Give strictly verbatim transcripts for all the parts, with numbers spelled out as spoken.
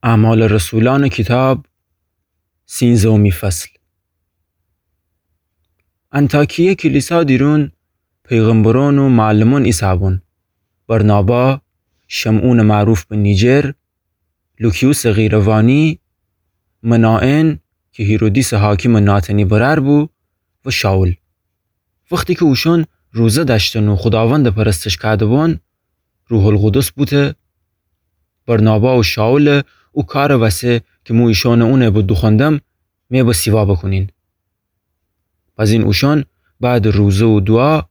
اعمال رسولأنٚ کیتاب، سینزهمی فصل. انطاکیه کلیسا دیرون پیغمبرأن و معلمأن ایسه‌بون: برنابا، شمعونٚ معروف به نیجر، لوکیوسٚ قیروانی، منائن کی هیرودیسٚ حاکمٚ ناتنی برأر بو، و شائول. وختی کی اوشأن روزه دأشتن و خوداوندَ پرستش کوده‌بون، روح‌القدس بوته: برنابا و شائولَ او کارٚ وسه کی مو ایشأنَ اونه‌یٚ به دوخوأندم، می به سیوا بوکونین. بزین اوشأن بعدٚ روزه و دوعا،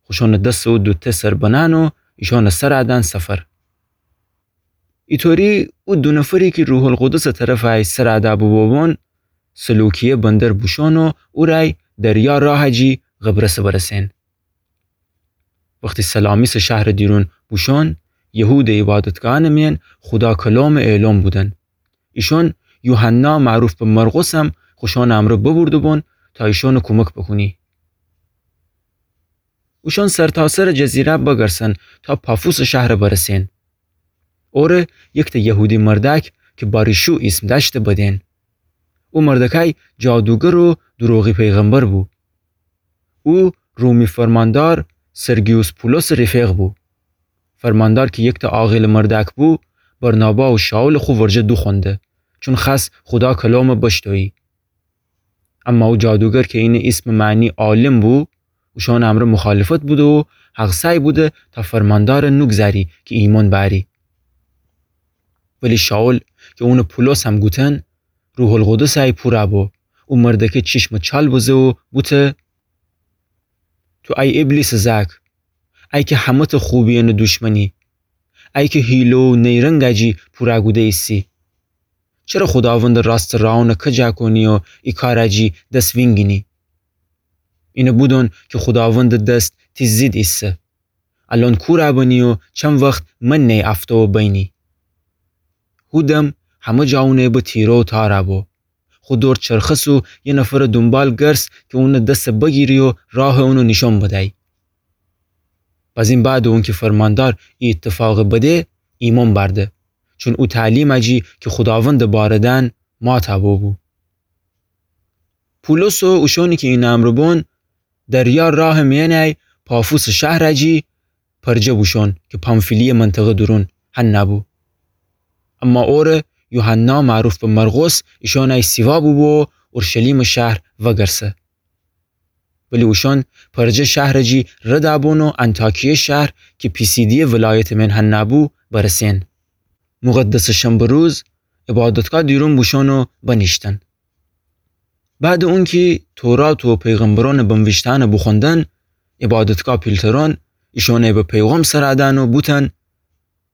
خوشأنٚ دس و دوته سر بنأن و ایشأنَ سرَ دأن سفر. ایطوری او دو نفری کی روح‌القدسٚ طرفٚ ای سرَ دأ بوبوبون، سلوکیه بندر بوشون و اورأی دریا راهٚ جی قبرسَ برسین. وختی سلامیسٚ شهرٚ دیرون بوشون، یهودٚ عیبادتگاهأنٚ میأن خودا کلامٚ اعلام بودن. ایشأن یوحنا معروف به مرقسم خوشأنٚ امرأ ببرده‌بون تا ایشأنَ کومک بوکونی. اوشأن سرتاسرٚ جزیره بگرسن تا پافوسٚ شهرَ برسین. اوره یکتأ یهودی مردأک کی بارشوع ایسم دأشته بدین. او مردأکأی جادوگر و دروغی پیغمبر بو. او رومی فرماندار سرگیوس پولسٚ رفیق بو. فرماندار کی یکتأ عاقیلٚ مردأک بو، برنابا و شائولَ خو ورجه دوخوأنده، چون خوأس خودا کلامَ بشتویی. اما او جادوگر کی اینٚ ایسمٚ معنی عالم بو، اوشأنٚ امرأ مخالفت بوده و هغسأی بوده تا فرماندارَ نوگذأری کی ایمأن بأری. ولی شائول کی اونَ پولس هم گوتن، روح‌القدسٚ ای پورَ بو. او مردأکه چیشمَ چال بزه و بوته: تو ای ابلیسٚ زأک، ای کی همه‌تأ خوبیأنٚ دوشمنی، ای کی حیله و نیرنگٚ جی پورَ کوده ایسی، چره خوداوندٚ راستٚ رأونَ کجا کونی و ای کارٚ جی دس وینگینی؟ اینَ بودون کی خوداوندٚ دس تی ضد ایسه. الأن کورَ بنی و چند وخت من نی افتو و بینی. هو دم همه جا اونٚ به تیره و تارَ بو. خو دور چرخس و یه نفرٚ دونبال گرس کی اونٚ دسَ بگیری و راهٚ اونَ نیشأن بدی. بزین بعدٚ اونکی فرماندار ای ایتفاقَ بده، ایمأن بأرده، چون او تعلیمٚ جی کی خوداوندٚ بارٚ دأن ماتَ بوبو. پولس و اوشأنی کی اینٚ امرأ بون دریا راهٚ میأنٚ ای پافوسٚ شهرٚ جی پرجه بوشون کی پامفیلیه منطقه دورون هنَ بو. اما اوره یوحنا معروف به مرقس ایشأنٚ ای سیوا بوبو و اورشلیمٚ شهر وگرسه. ولی اوشأن پرجه شهرٚ جی ردَ بون و انطاکیه شهر کی پیسیدیه ولایتٚ میأن هنَ بو برسین. مقدسٚ شنبه روز عبادتگاه دیرون بوشون و بنیشتن. بعدٚ اونکی تورات و پیغمبرأنٚ بنویشته‌یأنَ بوخوندن، عبادتگاه پیلترأن ایشأنَ به پیغام سرَ دأن و بوتن: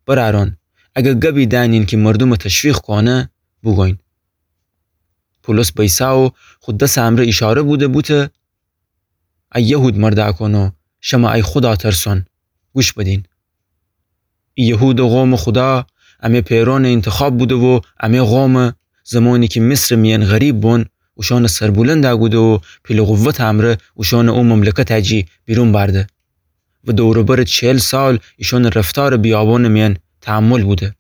برأرأن، اگر گبی دأنین کی مردومَ تشویق کونه، بوگوین. پولس بیسه و خو دسٚ امرأ ایشاره بوده بوته: ای یهود مردأکأن و شمه ای خودا ترسأن، گوش بدین. ای یهودٚ قومٚ خودا امه پئرأنٚ اینتخاب بوده و امه قومَ زمانی کی مصرٚ میأن غریب بون، اوشأنَ سربلندَ کوده و پیلٚ قوتٚ امرأ اوشأنَ او مملکتٚ جی بیرون بأرده و دور و برٚ چهل سال ایشأنٚ رفتارٚ بیابانٚ میأن تحمل بوده.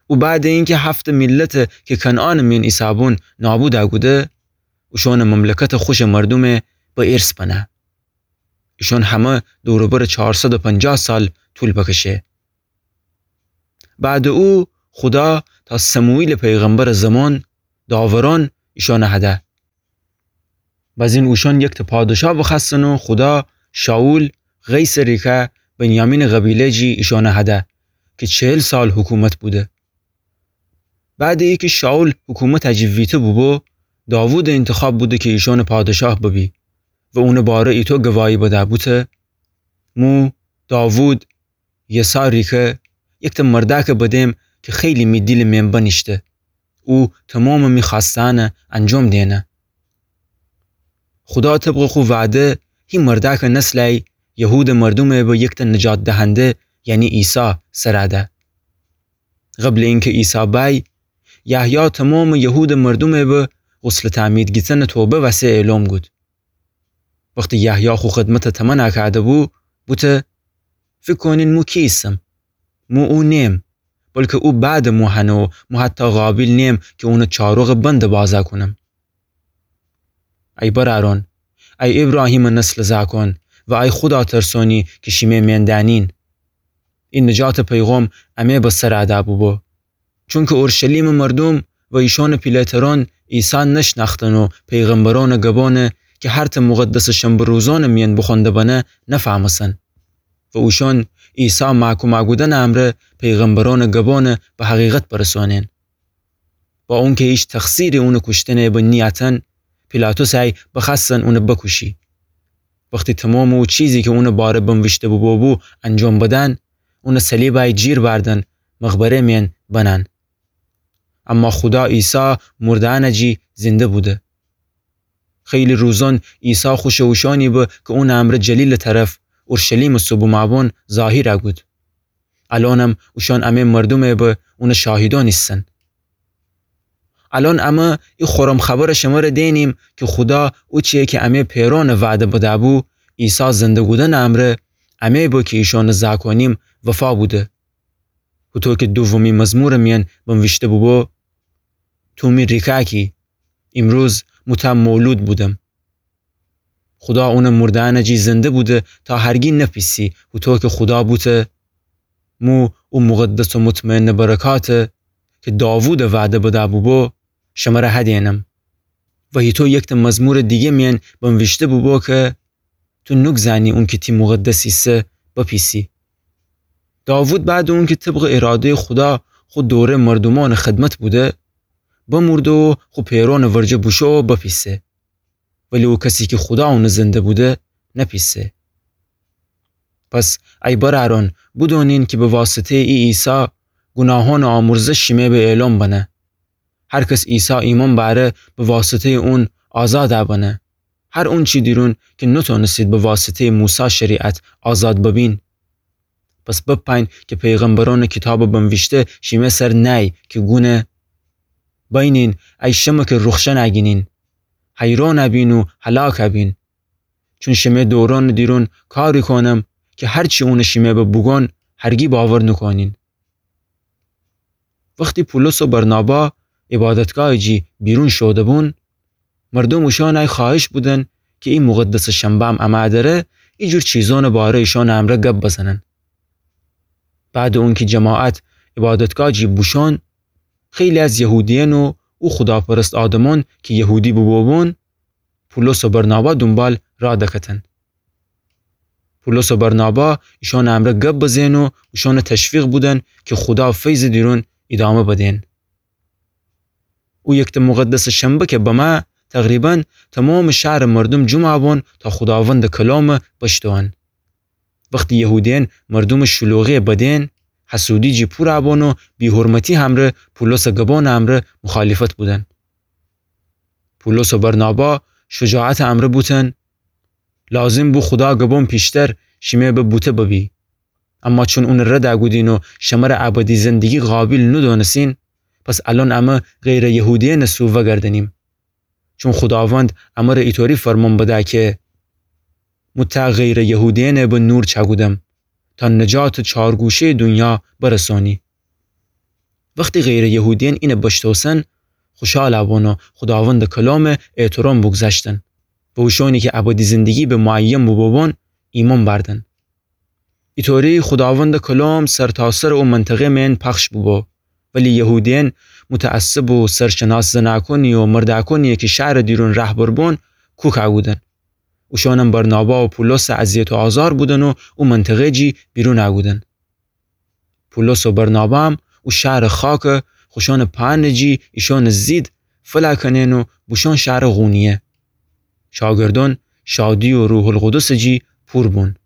او بعدٚ اینکی هفت‌تأ میلتَ کی کنعانٚ میأن ایسه‌بون نابودَ کوده، اوشأنٚ مملکتَ خوشٚ مردومَ به ارث بنه. ایشأن همه دور و برٚ چارصد و پنجاه سال طول بکشه. بعدٚ او خودا تا سموئیلٚ پیغمبرٚ زمان داورأن ایشأنٚ هده. بزین اوشأن یکتأ پادشاه بخوأستن و خودا شائول قیسٚ ریکه بنیامینٚ قبیله جی ایشأنٚ هده کی چهل سال حکومت بوده. بعدٚ ایکی شائول حکومتٚ جی ویته بوبو، داوودٚ اینتخاب بوده کی ایشأنٚ پادشاه ببی و اونٚ باره ایتو گواهی بده بوته: مو داوود یسا ریکه یکتأ مردأکٚ بدم کی خیلی می دیلٚ مئن بنیشته. او تومامٚ می خوأستأنٚ انجام دئنه. خودا طبقٚ خو وعده هی مردأکٚ نسلٚ یهودٚ مردومٚ به یکتأ نجات دهنده، یعنی عیسی، سرَ ده. قبلٚ اینکه عیسی بأی، یحیی تومامٚ یهودٚ مردومٚ به غسلٚ تعمید گیتنٚ توبه وسه اعلام کود. وختی یحیی خو خدمتَ تمنَ کوده‌بو، بوته: فیکر کونین مو کی ایسم؟ مو او نیم. بلکه او بعدٚ مو هنه و مو حتی قابیل نیم کی اونٚ چاروغٚ بندٚ بازا کونم. ای برأرأن، ای ایبراهیمٚ نسلٚ زأکأن و ای خودا ترسونی کی شیمه مین دأنین. ای نجاتٚ پیغام امه به سر ادا بوبو. چونکه اورشلیمٚ مردوم و ایشأنٚ پیله ترأن عیسی نشنأختن و پیغمبرأنٚ گبأنَ کی هر ته مقدسٚ شنبه روزأنٚ میأن بوخوأنده بنه نفهمستن. و اوشأن عیسی محکوم اَ کودنٚ امرأ پیغمبرأنٚ گبأنَ به حقیقت برسأنین. با اونکه هیچ تقصیری اونٚ کوشتنٚ به نیأتن، پیلاطس ای بخوأستن اونَ بکوشی. وختی تمامٚ او چیزی کی اونٚ باره بنویشته بوبو انجام بدن، اونَ صلیب ای جیر بأردن مقبره میأن بنن. اما خودا عیسی مرده‌یأنٚ جی زنده بوده. خیلی روزأن عیسی خوشٚ اوشأنی به کی اونٚ امرأ جلیلٚ طرف اورشلیمٚ سوبومأبان ظاهیر اَ کود. الأنم اوشأن امه مردومٚ به اونٚ شاهیدأن ایسن. الأن امه ای خورم خبرَ شمره دئنیم کی خودا اوچی‌یَ کی امه پئرأنَ وعده بده‌بو، عیسی زنده کودنٚ امرأ امه به کی ایشأنَ زأکأنیم وفا بوده. هوطو کی دومی مزمورٚ میأن بنویشته بوبو: تو می ریکأکی، ایمروز مو تأ مولود بودم. خودا اونَ مرده‌یأنٚ جی زنده بوده تا هرگی نپیسی، هوطو کی خودا بوته: مو او مقدس و مطمئنٚ برکاتَ کی داوودَ وعده بده‌بوبو شمره هدینم. و هیطو یک ته مزمورٚ دیگه میأن بنویشته بوبو کی تو نوگذأنی اونکی تی مقدس ایسه بپیسی. داوود بعدٚ اونکی طبقٚ اراده‌یٚ خودا خو دوره‌یٚ مردومأنٚ خدمت بوده، بمرده و خو پئرأنٚ ورجه بوشو و بپیسه. ولی او کسی کی خودا اونَ زنده بوده نپیسه. پس ای برأرأن، بودونین کی به واسطه‌یٚ ای عیسی گوناهأنٚ آمرزش شیمه به اعلام بنه. هر کس عیسی ایمأن بأره به واسطه‌یٚ اون آزاد اَ بنه. هر اونچی دیرون کی نتأنستید به واسطه‌یٚ موسی شریعت آزاد ببین. پس بپأیین کی پیغمبرأنٚ کیتابٚ بنویشته شیمه سر نأیی کی گونه: بأیینین ای شمه کی روخشن اَگینین، حیرأن اَبین و هلاک اَبین. چون شیمه دورأنٚ دیرون کاری کونم کی هرچی اونَ شیمه به بوگون هرگی باور نوکونین. وختی پولس و برنابا عبادتگاهٚ جی بیرون شوده‌بون، مردوم اوشأن ای خوأهش بودن کی ای مقدسٚ شنبه‌م امأ دره ایجور چیزأنٚ باره ایشأنٚ امرأ گب بزنن. بعدٚ اونکی جماعت عبادتگاه جی بوشون، خیلی از یهودیأن و او خوداپرست آدمأن کی یهودی بوبوبون، پولس و برنابا دونبال راه دکتن. پولس و برنابا ایشأنٚ امرأ گب بزئن و اوشأنَ تشویق بودن کی خودا فیضٚ دیرون ایدامه بدین. او یک ته مقدسٚ شنبه کی بمأ، تقریباً تومامٚ شهرٚ مردوم جمعٚ بون تا خوداوندٚ کلامَ بشتوئن. وختی یهودیأن مردومٚ شلوغی بدین، حسودی جی پورَ بون و بی‌حرمتی همرأ پولسٚ گبانٚ امرأ مخالفت بودن. پولس و برنابا شجاعتٚ امرأ بوتن: لازم بو خودا گبان پیشتر شیمه به بوته ببی. اما چون اونَ رد کودین و شمره ابدی زندگی قابیل نودونستین، پس الأن امه غیرٚ یهودیأنٚ سو وگردنیم. چون خوداوند امره ایطوری فرمان بده کی: مو ته غیرٚ یهودیأنَ به نور چأکودم، تا نجاتٚ چارگوشه‌یٚ دونیا برسانی. وختی غیرٚ یهودیأن اینَ بشتوسن، خوشحالَ بون و خوداوندٚ کلامَ احترام بوگذشتن و اوشانی کی ابدی زندگی به معین بوبوبون، ایمأن بأردن. ایطوری خوداوندٚ کلام سرتاسرٚ او منطقه مئن پخش بوبو، ولی یهودیأن متعصب و سرشناس زنأکونی و مردأکونی کی شهرٚ دیرون رهبر بون، کوکَ کودن. اوشانم برنابا و پولسَ اذیت و آزار بودن و او منطقه جی بیرونَ کودن. پولس و برنابا هم او شهرٚ خاکَ خوشانٚ پأنٚ جی ایشانٚ ضد فلأ کنئن و بوشون شهرٚ قونیه. شاگردأن شادی و روح‌القدسٚ جی پور بون.